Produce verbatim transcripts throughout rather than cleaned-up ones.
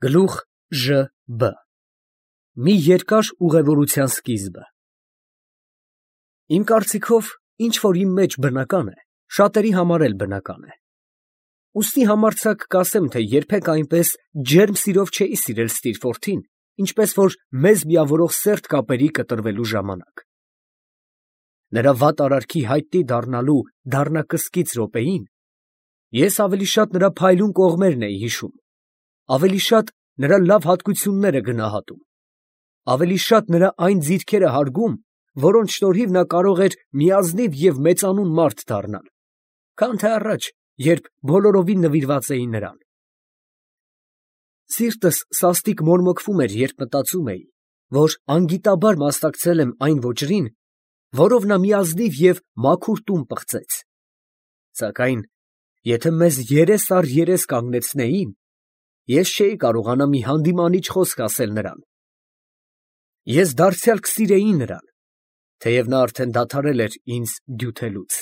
Գլուխ Ժ Բ Մի երկար ուղևորության սկիզբը։ Իմ կարծիքով, ինչ որ իմ մեջ բնական է, շատերի համար էլ բնական է։ Ուստի համարձակ կասեմ, թե երբեք այնպես ջերմ սիրով չէի սիրել Ստիրֆորթին, ինչպես որ մեզ միավորող սերտ կապերի կտրվելու ժամանակ։ Նրա վատ արարքի հայտնի դառնալու դառնակսկիծ րոպեին ես ավելի շատ նրա փայլուն կողմերն էի հիշում, ավելի շատ նրա լավ հատկությունները գնահատում, ավելի շատ նրա այն ձիրքերը հարգում, որոնց շնորհիվ նա կարող էր միազնիվ և մեծանուն մարդ դառնալ, քան թե առաջ, երբ բոլորովին նվիրված էի նրան։ Սիրտս սաստիկ մորմոքվում էր, երբ մտածում էի, որ անգիտաբար մասնակցել եմ այն ոճրին, որով նա միազնիվ և մաքուր տուն պղծեց, սակայն եթե մեզ երես առ երես կանգնեցնեին, ես չէի կարողանա մի հանդիմանիչ խոսք ասել նրան։ Ես դարձյալ կսիրեի նրան, թեև նա արդեն դադարել էր ինձ դյութելուց։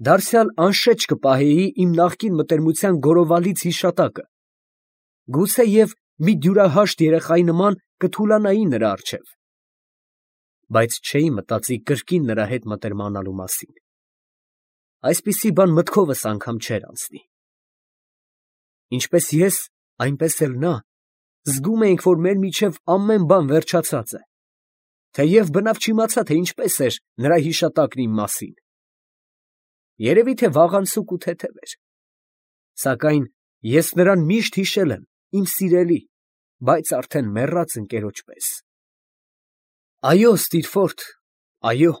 Դարձյալ անշեջ կպահեի իմ նախկին մտերմության գորովալից հիշատակը, գուցեև մի դյուրահաշտ երեխայի նման կթուլանայի նրա առջև, բայց չէի մտածի կրկին նրա հետ մտերմանալու մասին։ Այսպիսի բան մտքովս անգամ չէր անցնի։ Ինչպես ես, այնպես էլ նա զգում էինք, որ մեր միջև ամեն բան վերջացած է, թեև բնավ չիմացա, թե ինչպես էր նրա հիշատակն իմ մասին։ Երևի թե վաղանցուկ ու թեթև էր, սակայն ես նրան միշտ հիշել եմ իմ սիրելի, բայց արդեն մեռած ընկերոջ պես։ Այո, Ստիրֆորթ, այո,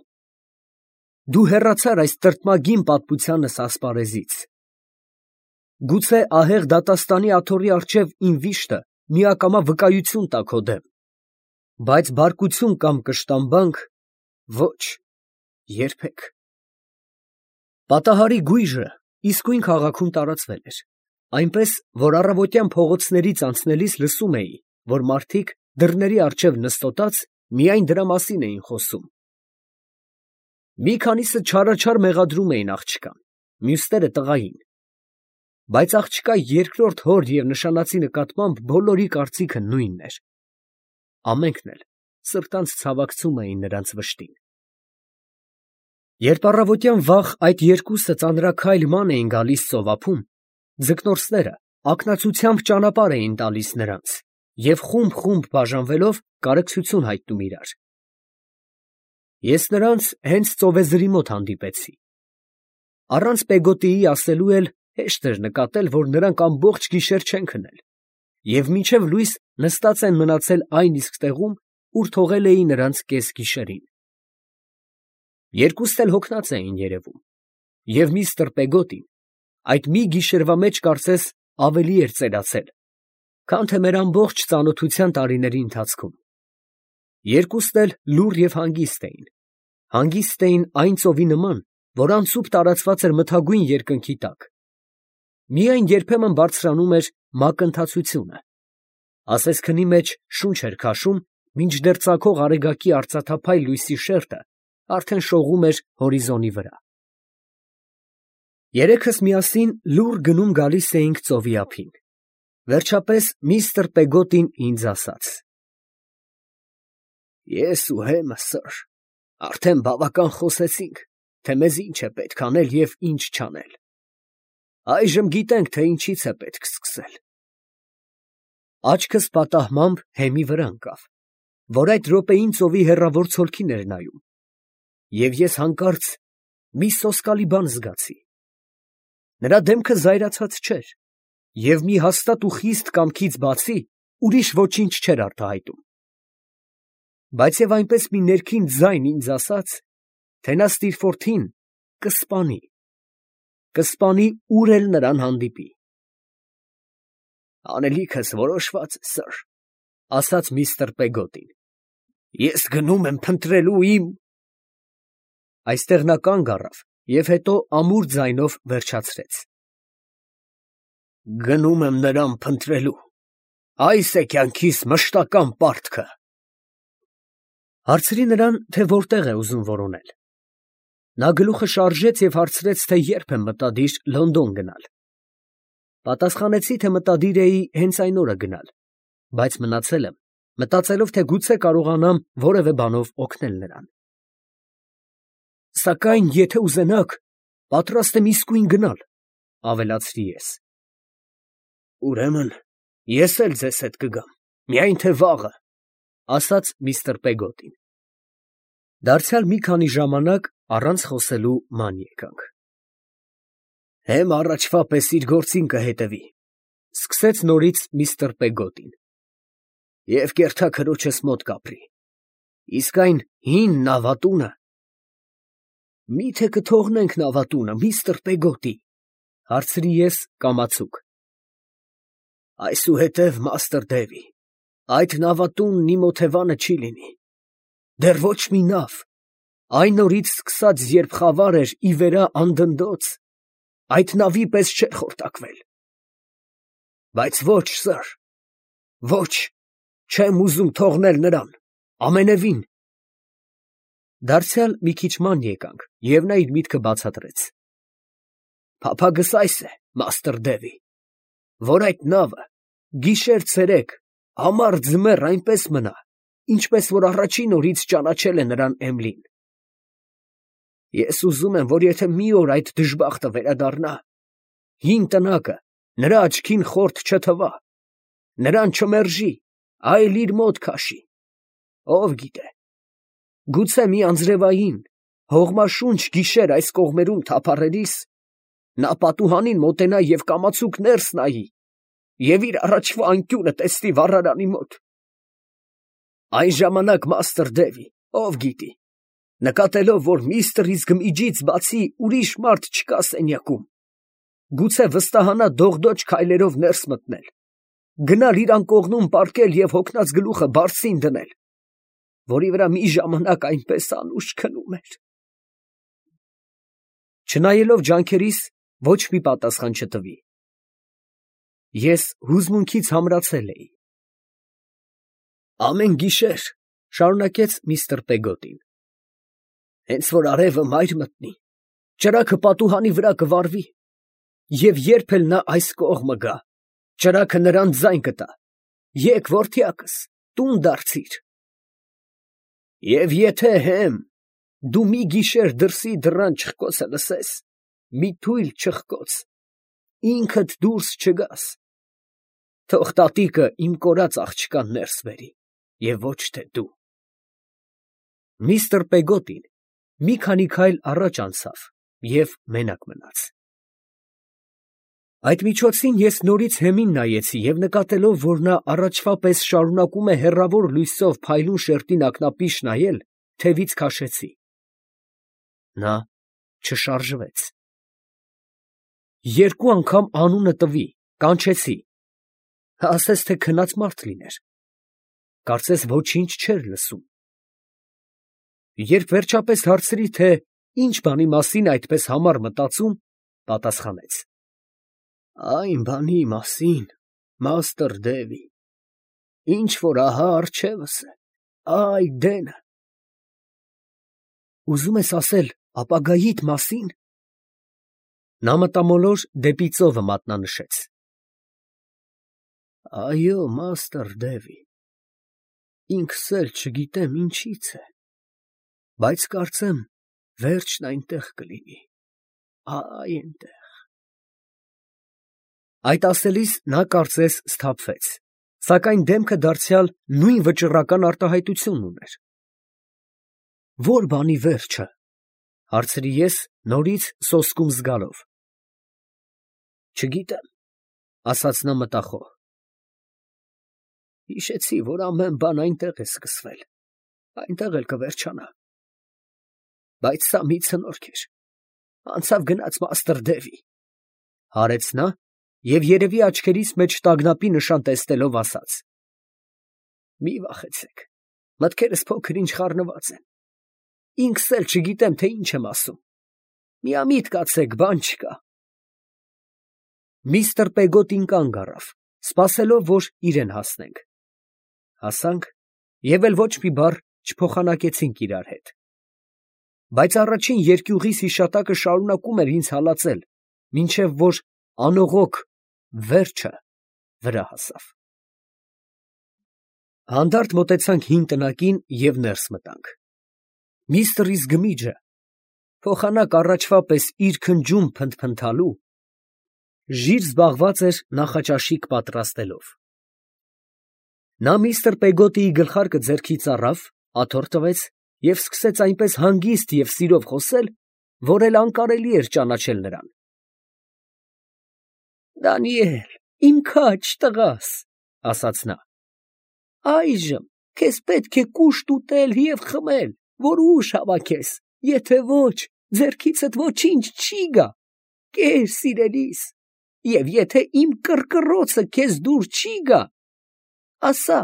դու հեռացար այս տրտմագին պատմությանս ասպարեզից։ Գուցե ահեղ դատաստանի աթոռի առջև իմ վիշտը միակամա վկայություն տա քո դեմ, բայց բարկություն կամ կշտամբանք ոչ, երբեք։ Պատահարի գույժը իսկույն քաղաքում տարածվել էր, այնպես, որ առավոտյան փողոցներից անցնելիս լսում էի, որ մարդիկ դռների առջև նստոտած միայն դրա մասին էին խոսում։ Մի քանիսը չարաչար մեղադրում էին աղջկան, մյուսները տղային, բայց աղջկա երկրորդ հոր և նշանածի նկատմամբ բոլորի կարծիքը նույնն էր. ամենքն էլ սրտանց ցավակցում էին նրանց վշտին։ Երբ առավոտյան վաղ այդ երկուսը ծանրաքայլ ման էին գալիս ծովափում, ձկնորսները ակնածությամբ ճանապարհ էին տալիս նրանց և խումբ-խումբ բաժանվելով կարեկցություն հայտնում իրար։ Ես նրանց հենց ծովեզրի մոտ հանդիպեցի։ Առանց Պեգոտիի ասելու էլ հեշտ էր նկատել, որ նրանք ամբողջ գիշեր չեն քնել և մինչև լույս նստած են մնացել այն իսկ տեղում, ուր թողել էի նրանց կեսգիշերին։ Երկուստ էլ հոգնած էին երևում, և միստր Պեգոտին այդ մի գիշերվա մեջ կարծես ավելի էր ծերացել, քան թե մեր ամբողջ ծանոթության տարիների ընթացքում։ Երկուստ էլ լուռ և հանգիստ էին, հանգիստ էին այն ծովի նման, որ անցուփ տարածված էր մթագույն երկնքի տակ։ Միայն երբեմն բարձրանում էր մակընթացությունը, ասես քնի մեջ շունչ էր քաշում, մինչդեռ ծագող արեգակի արծաթափայլ լույսի շերտը արդեն շողում էր հորիզոնի վրա։ Երեքս միասին լուռ գնում գալիս էինք ծովի ափին։ Վերջապես միստր Պեգոտին ինձ ասաց. Ես ու հեմը, սըր, արդեն բավական խոսեցինք, թե մեզ ինչ է պետք անել և ինչ չանել։ Այժմ գիտենք, թե ինչից է պետք սկսել։ Աչքս պատահմամբ հեմի վրա ընկավ, որ այդ րոպեին ծովի հեռավոր ցոլքին էր նայում, և ես հանկարծ մի սոսկալի բան զգացի։ Նրա դեմքը զայրացած չէր, և մի հաստատ ու խիստ կամքից բացի ուրիշ ոչինչ չէր արտահայտում։ Բայց և այնպես մի ներքին ձայն ինձ ասաց, թե նա Ստիրֆորթին կսպանի, կսպանի ուր էլ նրան հանդիպի։ Անելիքս որոշված է, սըր, ասաց միստր Պեգոտին, ես գնում եմ փնտրելու իմ… Այստեղ նա կանգ առավ և հետո ամուր ձայնով վերջացրեց. Գնում եմ նրան փնտրելու, այս է կյանքիս մշտական պարտքը։ Հարցրի նրան, թե որտեղ է ուզում որոնել։ Նա գլուխը շարժեց և հարցրեց, թե երբ եմ մտադիր Լոնդոն գնալ։ Պատասխանեցի, թե մտադիր էի հենց այն օրը գնալ, բայց մնացել եմ, մտածելով, թե գուցե կարողանամ որևէ բանով օգնել նրան։ Սակայն, եթե ուզենաք, պատրաստ եմ իսկույն գնալ, ավելացրի ես։ Ուրեմն, ես էլ ձեզ հետ կգամ, միայն թե վաղը, ասաց միստր Պեգոտին։ Դարձյալ մի քանի ժամանակ առանց խոսելու ման եկանք։ Հեմ առաջվա պես իր գործին կհետևի, սկսեց նորից միստր Պեգոտին, և կերթաքրոջս մոտ կապրի, իսկ այն հին նավատունը… Մի՞թե կթողնենք նավատունը, միստր Պեգոտի, հարցրի ես կամացուկ։ Այսուհետև, մաստր Դևի, այդ նավատունն իմ օթևանը չի լինի, դեռ ոչ մի նավ, այն օրից սկսած, երբ խավար էր ի վերա անդնդոց, այդ նավի պես չէր խորտակվել։ Բայց ոչ, սըր, ոչ, չեմ ուզում թողնել նրան, ամենևին։ Դարձյալ մի քիչ ման եկանք, և նա իր միտքը բացատրեց. Փափագս այս է, մաստր Դևի, որ այդ նավը գիշեր֊ցերեկ, ամառ֊ձմեռ այնպես մնա, ինչպես որ առաջին օրից ճանաչել է նրան Էմլին։ Ես ուզում եմ, որ եթե մի օր այդ դժբախտը վերադառնա, հին տնակը նրա աչքին խորթ չթվա, նրան չմերժի, այլ իր մոտ քաշի, ով գիտե, գուցե մի անձրևային, հողմաշունչ գիշեր այս կողմերում թափառելիս, նա պատուհանին մոտենա և կամացուկ ներս նայի և իր առաջվա անկյունը տեսնի վառարանի մոտ։ Այն ժամանակ, մաստր Դևի, ով գիտի, նկատելով, որ միստր Իզգմիջից բացի ուրիշ մարդ չկա սենյակում, գուցե վստահանա դողդոջ քայլերով ներս մտնել, գնալ իր անկողնում պառկել և հոգնած գլուխը բարձին դնել, որի վրա մի ժամանակ այնպես անուշ քնում էր։ Չնայելով ջանքերիս, ոչ մի պատասխան չտվի։ Ես հուզմունքից համրացել էի։ Ամեն գիշեր, շարունակեց միստր Պեգոտին, հենց որ արևը մայր մտնի, ճրագը պատուհանի վրա կվառվի, և երբ էլ նա այս կողմը գա, ճրագը նրան ձայն կտա. եկ, որդյակս, տուն դարձիր։ Եվ եթե հեմ դու մի գիշեր դրսի դռան չխկոցը լսես, մի թույլ չխկոց, ինքդ դուրս չգաս, թող տատիկը իմ կորած աղջկան ներս բերի, և ոչ թե դու։ Միստր Պեգոտին մի քանի քայլ առաջ անցավ և մենակ մնաց։ Այդ միջոցին ես նորից հեմին նայեցի և նկատելով, որ նա առաջվա պես շարունակում է հեռավոր լույսով փայլուն շերտին ակնապիշ նայել, թևից քաշեցի։ Նա չշարժվեց։ Երկու անգամ անունը տվի, կանչեցի, ասես թե քնած մարդ լիներ, կարծես ոչինչ չէր լսում։ Երբ վերջապես հարցրի, թե ինչ բանի մասին այդպես համառ մտածում, պատասխանեց. Այն բանի մասին, մաստր Դևի, ինչ որ ահա առջևս է, այ դենը։ Ուզում ես ասել ապագայիդ մասին։ Նա մտամոլոր դեպի ծովը մատնանշեց։ Այո, մաստր Դևի, ինքս էլ չգիտեմ ինչից է, բայց կարծեմ վերջն այնտեղ կլինի, այ այնտեղ։ Այդ ասելիս նա կարծես սթափվեց, սակայն դեմքը դարձյալ նույն վճռական արտահայտությունն ուներ։ Ո՞ր բանի վերջը, հարցրի ես նորից սոսկում զգալով։ Չգիտեմ, ասաց նա մտախոհ։ Հիշեցի, որ ամեն բան այնտեղ է սկսվել, այնտեղ էլ կվերջանա։ Բայց սա մի ցնորք էր, անցավ գնաց մաստր Դևի, հարեց նա և երևի աչքերիս մեջ տագնապի նշան տեսնելով ասաց. Մի վախեցեք, մտքերս փոքր-ինչ խառնված են, ինքս էլ չգիտեմ, թե ինչ եմ ասում, միամիտ կացեք, բան չկա։ Միստր Պեգոտին կանգ առավ, սպասելով, որ իրեն հասնենք։ Հասանք և էլ ոչ մի բառ չփոխանակեցինք իրար հետ։ Բայց առաջին երկյուղիս հիշատակը շարունակում էր ինձ հալածել, մինչև որ անողոք վերջը վրա հասավ։ Հանդարտ մոտեցանք հին տնակին և ներս մտանք։ Միստր Իզգմիջը փոխանակ առաջվա պես իր քնջում փնթփնթալու, ժիր զբաղված էր նախաճաշիկ պատրաստելով։ Նա միստր Պեգոտիի գլխարկը ձեռքից առավ, աթոռ տվեց և սկսեց այնպես հանգիստ և սիրով խոսել, որ էլ անկարելի էր ճանաչել նրան։ «Դանիել, իմ քաջ տղաս, ֊ ասաց նա, ֊ այժմ քեզ պետք է կուշտ ուտել և խմել, որ ուժ հավաքես, եթե ոչ, ձեռքիցդ ոչինչ չի գա, կեր սիրելիս, և եթե իմ կռկռոցը քեզ դուր չի գա, ասա,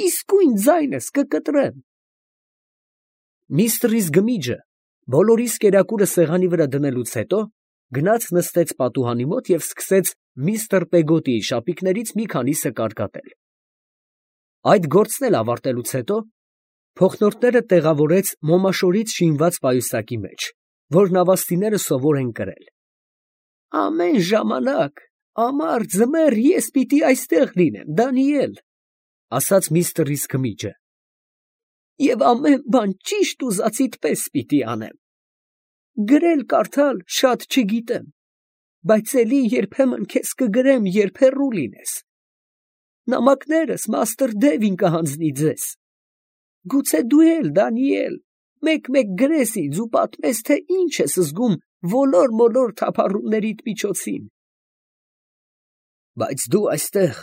իսկույն ձայնս կկտրեմ»։ Միստր Իզգմիջը բոլորիս կերակուրը սեղանի վրա դնելուց հետո գնաց նստեց պատուհանի մոտ և սկսեց միստր Պեգոտիի շապիկներից մի քանիսը կարկատել։ Այդ գործն էլ ավարտելուց հետո փոխնորդները տեղավորեց մոմաշորից շինված պայուսակի մեջ, որ նավաստիները սովոր են կրել։ «Ամեն ժամանակ, ամառ ձմեռ ես պիտի այստեղ լինեմ, Դանիել, ֊ ասաց միստր Իզգմիջը, ֊ և ամեն բան ճիշտ ուզածիդ պես պիտի անեմ։ Գրել֊կարդալ շատ չգիտեմ, բայց էլի երբեմն քեզ կգրեմ, երբ հեռու լինես։ Նամակներս մաստր Դևին կհանձնի ձեզ։ Գուցե դու էլ, Դանիել, մեկ֊մեկ գրես ինձ ու պատմես, թե ինչ ես զգում ոլոր֊մոլոր թափառումներիդ միջոցին։ «Բայց դու այստեղ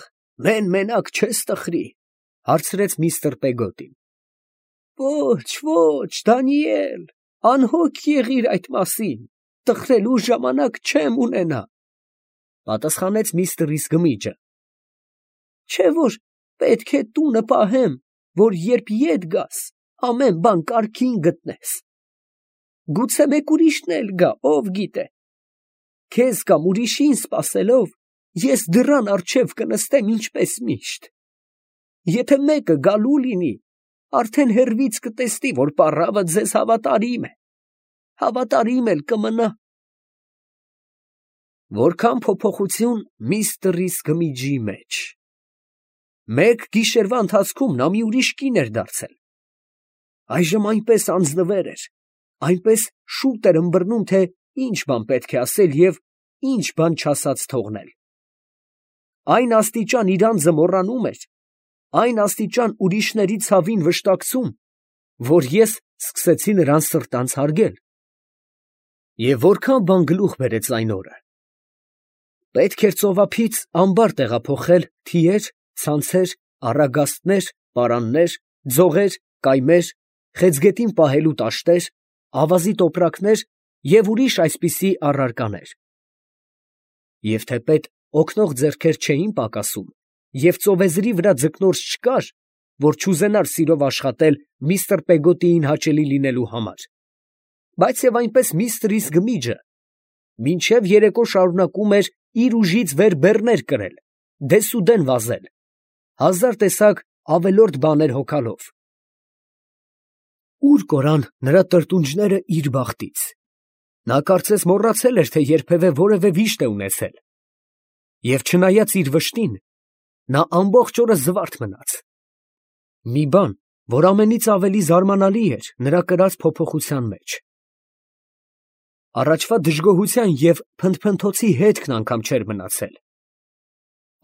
մեն֊մենակ չես տխրի, ֊ հարցրեց միստր Պեգոտին։ ֊ Ոչ, ոչ, Դանիել, անհոգ եղիր այդ մասին, տխրելու ժամանակ չեմ ունենա, ֊ պատասխանեց միստր Իզգմիջը։ ֊ Չէ՞ որ պետք է տունը պահեմ, որ երբ ետ գաս, ամեն բան կարգին գտնես։ Գուցե մեկ ուրիշն էլ գա, ով գիտե, քեզ կամ ուրիշին սպասելով, ես դռան առջև կնստեմ ինչպես միշտ։ Եթե մեկը գալու լինի, արդեն հեռվից կտեսնի, որ պառավը ձեզ հավատարիմ է, հավատարիմ էլ կմնա»։ Որքան փոփոխություն միստր Իզգմիջի մեջ։ Մեկ գիշերվա ընթացքում նա մի ուրիշ կին էր դարձել։ Այժմ այնպես անձնվեր էր, այնպես շուտ էր ըմբռնում, թե ինչ բան պետք է ասել և ինչ բան չասած թողնել։ Այն աստիճան իր անձը մոռանում էր, այն աստիճան ուրիշների ցավին վշտակցում, որ ես սկսեցի նրան սրտանց հարգել։ Եվ որքան բան գլուխ բերեց այն օրը։ Պետք էր ծովափից ամբար տեղափոխել թիեր, ցանցեր, առագաստներ, պարաններ, ձողեր, կայմեր, խեցգետին պահելու տաշտեր, ավազի տոպրակներ և ուրիշ այսպիսի առարկաներ։ Եվ թեպետ օգնող ձեռքեր չէին պակասում, և ծովեզրի վրա ձկնորս չկար, որ չուզենար սիրով աշխատել միստր Պեգոտիին հաճելի լինելու համար, բայց և այնպես միստր Իզգմիջը մինչև երեկո շարունակում էր իր ուժից վեր բեռներ կրել, դեսուդեն վազել, հազար տեսակ ավելորդ բաներ հոգալով։ Ո՞ւր կորան նրա տրտունջները իր բախտից։ Նա կարծես մոռացել էր, թե երբևէ որևէ վիշտ է ունեցել։ Եվ չնայած իր վշտին, նա ամբողջ օրը զվարթ մնաց։ Մի բան, որ ամենից ավելի զարմանալի էր նրա կրած փոփոխության մեջ։ Առաջվա դժգոհության և փնթփնթոցի հետքն անգամ չէր մնացել։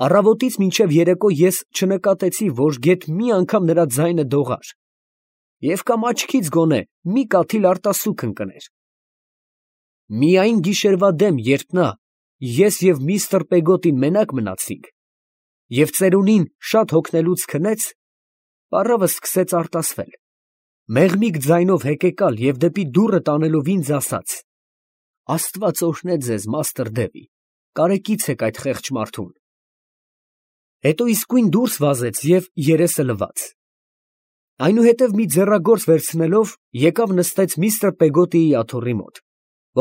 Առավոտից մինչև երեկո ես չնկատեցի, որ գեթ մի անգամ նրա ձայնը դողար, և կամ աչքից գոնե մի կաթիլ արտասուք ընկներ։ Միայն գիշերվա դեմ, երբ նա, ես և միստր Պեգոտին մենակ մնացինք, և ծերունին շատ հոգնելուց քնեց, պառավը սկսեց արտասվել, մեղմիկ ձայնով հեկեկալ և դեպի դուռը տանելով ինձ ասաց. «Աստված օրհնե ձեզ, մաստր Դևի, կարեկիցեք այդ խեղճ մարդուն»։ Հետո իսկույն դուրս վազեց և երեսը լվաց։ Այնուհետև մի ձեռագործ վերցնելով, եկավ նստեց միստր Պեգոտիի աթոռի մոտ,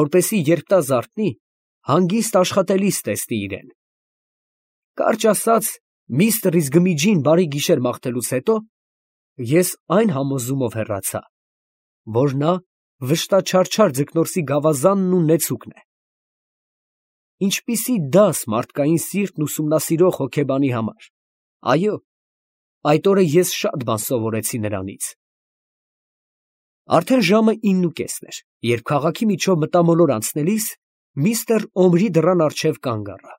որպեսզի երբ նա զարթնի, հանգիստ աշխատելիս տեսնի իրան։ Կարճ ասած, միստր Իզգմիջին բարի գիշեր մաղթելուց հետո, ես այն համոզումով հեռացա, որ նա վշտաչարչար ձկնորսի գավազանն ու նեցուկն է։ ինչպիսի դաս մարդկային սիրտն ուսումնասիրող հոգեբանի համար։ Այո, այդ օրը ես շատ բան սովորեցի նրանից։ Արդեն ժամը իննուկեսն էր, երբ քաղաքի միջով մտամոլոր անցնելիս միստր Օմրի դռան առջև կանգ առա։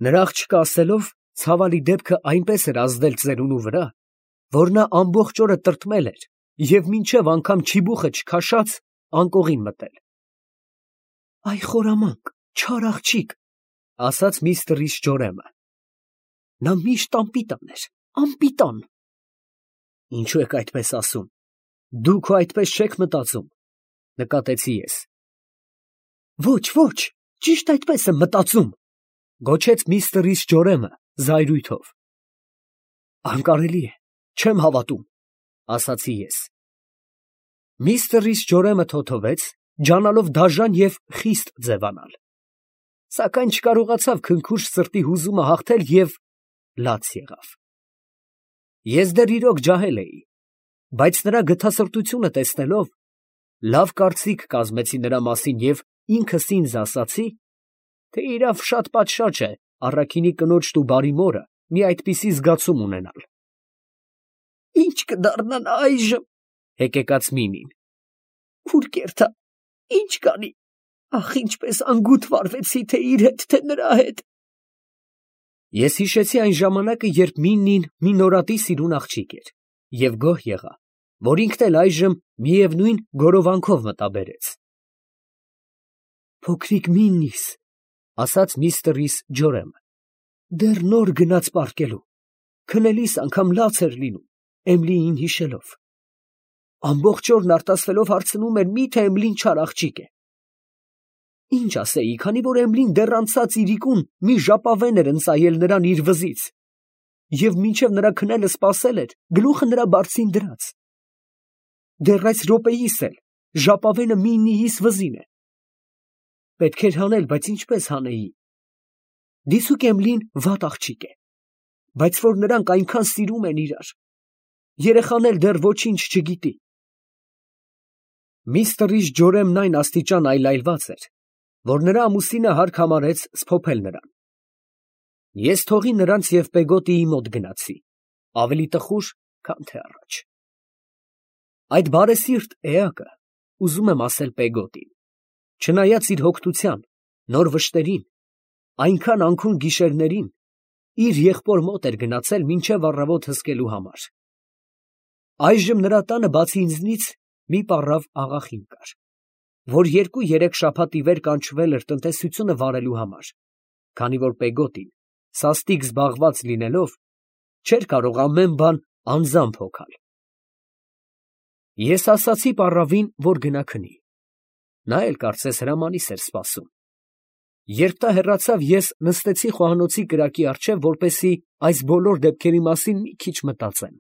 Նրա աղջիկը ասելով, ցավալի դեպքը այնպես էր ազդել ծերունու վրա, որ նա ամբողջ օրը տրտմել էր և մինչև անգամ չիբուխը չքաշած անկողին մտել։ «Այ խորամանկ, չար աղջիկ», ասաց միստր Ջորեմը։ «Նա միշտ անպիտան էր, անպիտան»։ «Ինչու եք այդպես ասում, դուք հո այդպես չեք մտածում», նկատեցի ես։ «Ոչ, ոչ, ճիշտ այդպես եմ մտածում», գոչեց միստր Ջորեմը զայրույթով։ «Անկարելի է, չեմ հավատում», ասացի ես։ Միստր Ջորեմը թոթվեց, ջանալով դաժան և խիստ ձևանալ, սակայն չկարողացավ քնքուշ սրտի հուզումը հաղթել և լաց եղավ։ Ես դեռ իրոք ջահել էի, բայց նրա գթասրտությունը տեսնելով, լավ կարծիք կազմեցի նրա մասին և ինքս ինձ ասացի, թե իրավ շատ պատշաճ է առաքինի կնոջն ու բարի մորը մի այդպիսի զգացում ունենալ։ «Ի՞նչ կդառնա նա այժմ», հեկեկաց Մինին։ «Ուր կերտա, ի՞նչ կանի, ախ, ինչպես անգութ վարվեցի թե իր հետ, թե նրա հետ»։ Ես հիշեցի այն ժամանակը, երբ Միննին մի նորատի սիրուն աղջիկ էր, և գոհ եղա, որ ինքն էլ այժմ միևնույն գորովանքով մտաբերեց։ «Փոքրիկ Միննիս», ասաց միստր Ջորեմը, դեռ նոր գնաց պառկելու, քնելիս անգամ լաց էր լինում, Էմիլիին հիշելով։ Ամբողջ օրն արտասվելով հարցնում էր, մի՞թե Էմիլին չար աղջիկ է։ Ինչ ասեի, քանի որ Էմիլին դեռ անցած իրիկուն մի ժապավեն էր ընծայել նրան իր վզից, և մինչև նրա քնելը սպասել էր, գլուխը նրա բարձին դրած։ Դեռ այս րոպեիս էլ ժապավենը Միննիիս վզին է։ Պետք էր հանել, բայց ինչպես հանեի։ Դիսուք Էմիլին վատ աղջիկ է, բայց որ նրանք այնքան սիրում են իրար, երեխան էլ դեռ ոչինչ չգիտի։ Միստր Ջորեմն այն աստիճան այլայլված էր, որ նրա ամուսինը հարկ համարեց սփոփել նրան։ Ես թողի նրանց և Պեգոտիի մոտ գնացի, ավելի տխուր, քան թե առաջ։ Այդ բարեսիրտ էակը, ուզում եմ ասել Պեգոտին, չնայած իր հոգնության, նոր վշտերին, այնքան անքուն գիշերներին, իր եղբոր մոտ էր գնացել մինչև առավոտ հսկելու համար։ Այժմ նրա տանը բացի ինձնից մի պառավ աղախին կար, որ երկու֊երեք շաբաթ ի վեր կանչվել էր տնտեսությունը վարելու համար, քանի որ Պեգոտին, սաստիկ զբաղված լինելով, չէր կարող ամեն բան անձամբ հոգալ։ Ես ասացի պառավին, որ գնա քնի։ Նա էլ կարծես հրամանիս էր սպասում։ Երբ նա հեռացավ, ես նստեցի խոհանոցի կրակի առջև, որպեսզի այս բոլոր դեպքերի մասին մի քիչ մտածեմ։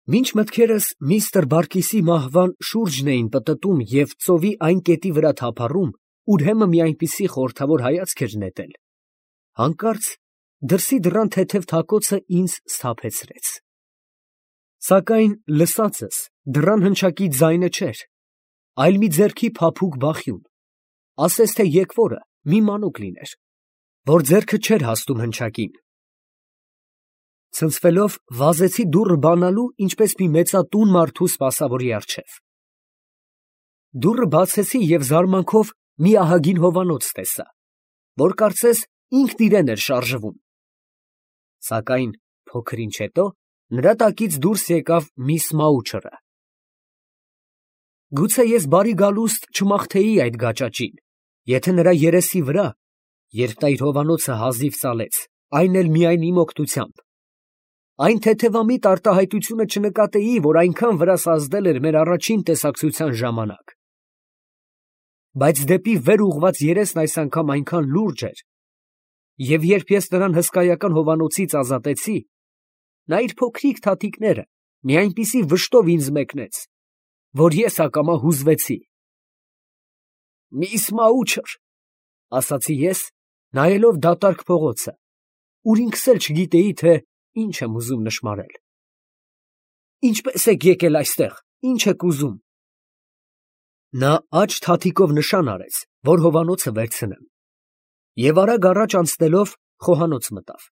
Մինչ մտքերս միստր Բարկիսի մահվան շուրջն էին պտտում և ծովի այն կետի վրա թափառում, ուր հեմը մի այնպիսի խորհրդավոր հայացք էր նետել, հանկարծ դրսի դռան թեթև թակոցը ինձ սթափեցրեց։ Սակայն լսածս դռան հնչակի ձայնը չէր, այլ մի ձեռքի փափուկ բախյուն, ասես թե եկվորը մի մանուկ լիներ, որ ձեռքը չէր հասնում հնչակին։ Ցնցվելով վազեցի դուռը բանալու, ինչպես մի մեծատուն մարդու սպասավորի առջև։ Դուռը բացեցի և զարմանքով մի ահագին հովանոց տեսա, որ կարծես ինքն իրեն էր շարժվում։ Սակայն փոքր ինչ հետո նրա տակից դուրս եկավ միս Մաուչերը։ Գուցե ես բարի գալուստ չմաղթեի այդ գաճաճին, եթե նրա երեսի վրա, երբ նա իր հովանոցը հազիվ ծալեց, այն էլ միայն իմ օգնությամբ, այն թեթևամիտ արտահայտությունը չնկատեի, որ այնքան վրաս ազդել էր մեր առաջին տեսակցության ժամանակ։ Բայց դեպի վեր ուղղված երեսն այս անգամ այնքան լուրջ էր, և երբ ես նրան հսկայական հովանոցից ազատեցի, նա իր փոքրիկ թաթիկները մի այնպիսի վշտով ինձ մեկնեց, որ ես ակամա հուզվեցի։ «Միս Մաուչեր», ասացի ես, նայելով դատարկ փողոցը, ուր ինքս էլ չգիտեի, թե ինչ եմ ուզում նշմարել։ «Ինչպե՞ս եք եկել այստեղ, ի՞նչ եք ուզում»։ Նա աջ թաթիկով նշան արեց, որ հովանոցը վերցնեմ, և արագ առաջ անցնելով խոհանոց մտավ։